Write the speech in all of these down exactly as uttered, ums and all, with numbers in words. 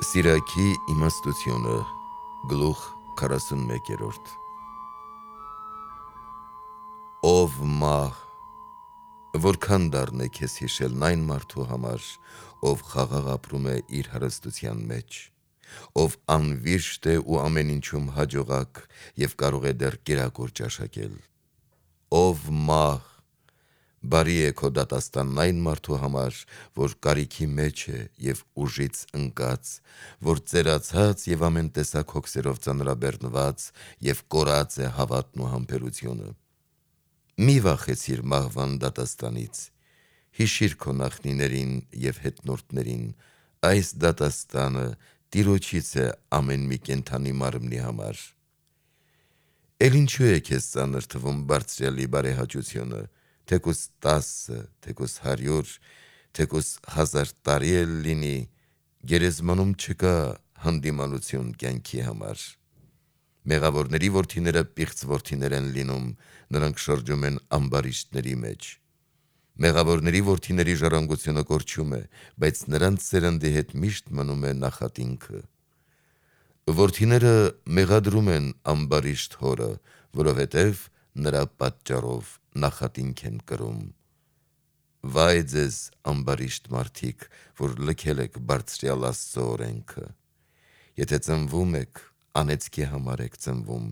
Սիրակի իմաստությունը, գլուխ քառասունմեկերորդ Ով մահ, որքան դառն է քեզ հիշելն այն մարդու համար, ով խաղաղ ապրում է իր հարստության մեջ, ով անվիրշտ է ու ամեն ինչում հաջողակ և կարող է դեռ կերակուր ճաշակել: Ով մահ, բարի է քո դատաստանն այն մարդու համար, որ կարիքի մեջ է և ուժից ընկած, որ ծերացած և ամեն տեսակ հոգսերով ծանրաբեռնված և կորած է հավատն ու համբերությունը: Մի վախեցիր մահվան դատաստանից, հիշիր քո նախնիներին և հետնորդներին, այս դատաստանը Տիրոջից է ամեն մի կենդանի մարմնի համար: Էլ ինչու է քեզ ծանր թվում Բարձրյալի բարեհաճությունը, թեկուզ տասը, թեկուզ հարյուր, թեկուզ հազար տարի էլ լինի, գերեզմանում չկա հանդիմանություն կյանքի համար: Մեղավորների որդիները պիղծ որդիներ են լինում, նրանք շրջում են ամբարիշտների մեջ: Մեղավորների որդիների ժառանգությունը կորչում է, բայց նրանց սերնդի հետ միշտ մնում է նախատինքը: Որդիները մեղադրում են ամբարիշտ հորը, որովհետև նրա պատճառով նախատինք են կրում: Վայ ձեզ ամբարիշտ մարդիկ, որ լքել եք Բարձրյալ Աստծո օրենքը: Եթե ծնվում եք, անեծքի համար եք ծնվում,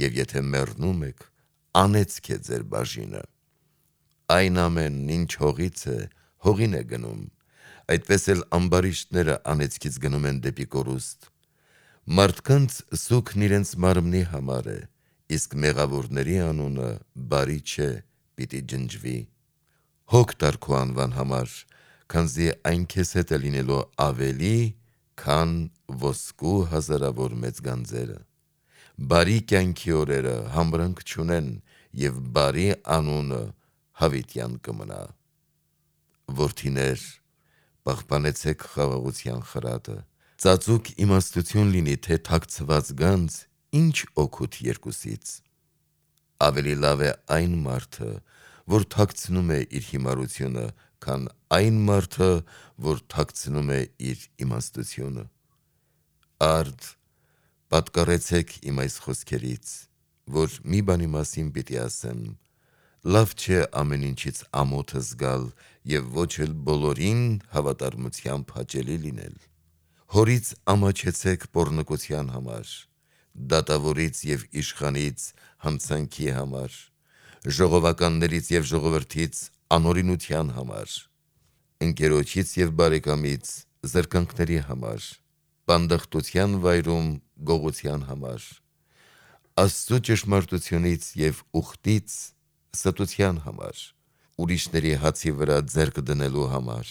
և եթե մեռնում եք, անեծք է ձեր բաժինը: Այն ամենն ինչ հողից է, հողին է գնում, այդպես էլ ամբարիշտները անեծքից գնում են դեպի կորուստ: Մարդկանց սուգն իրենց մարմնի համար է, իսկ մեղավորների անունը բարի չէ, պիտի ջնջվի: Հոգ տար քո անվան համար, քանզի այն քեզ հետ է լինելու ավելի, քան ոսկու հազարավոր մեծ գանձերը: Բարի կյանքի օրերը համրանք չունեն և բարի անունը հավիտյան կմնա: Որդիներ, պահպանեցեք խաղաղության խրատը: Ծածուկ իմաստություն լինի, թե թաքցված գանձ, ինչ օգուտ երկուսից: Ավելի լավ է այն մարդը, որ թաքցնում է իր հիմարությունը, քան այն մարդը, որ թաքցնում է իր իմաստությունը: Արդ, պատկառեցեք իմ այս խոսքերից, որ մի բանի մասին պիտի ասեմ: Լավ չէ ամեն ինչից ամոթը զգալ և ոչ էլ բոլորին հավատարմությամբ հաճելի լինել: Հորից ամաչեցեք պոռնկության համար, դատավորից և իշխանից հանցանքի համար, ժողովականներից և ժողովրդից անօրինության համար, ընկերոջից և բարեկամից զրկանքների համար, բանդախտության վայրում գողության համար, Աստծու ճշմարտությունից և ուխտից ստության համար, ուրիշների հացի վրա ձեռք դնելու համար,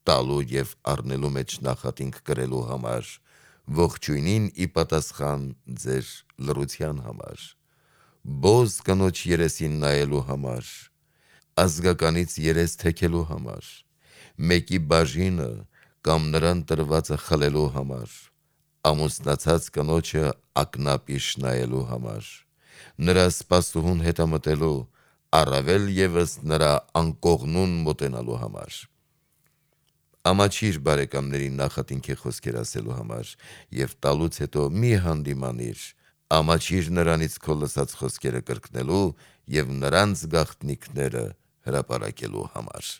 տալու և առնելու մեջ նախատինք կրելու համար, ողջույնին ի պատասխան ձեր լռության համար, բոզ կնոջ երեսին նայելու համար, ազգականից երես թեքելու համար, մեկի բաժինը կամ նրան տրվածը խլելու համար, ամուսնացած կնոջը ակնապիշ նայելու համար, նրա սպասուհուն հետամտելու, առավել ևս նրա անկողնուն մոտենալու համար: Ամաչիր բարեկամներին նախատինքի խոսքեր ասելու համար և տալուց հետո մի հանդիմանիր, ամաչիր նրանից քո լսած խոսքերը կրկնելու և նրանց գաղտնիքները հրապարակելու համար: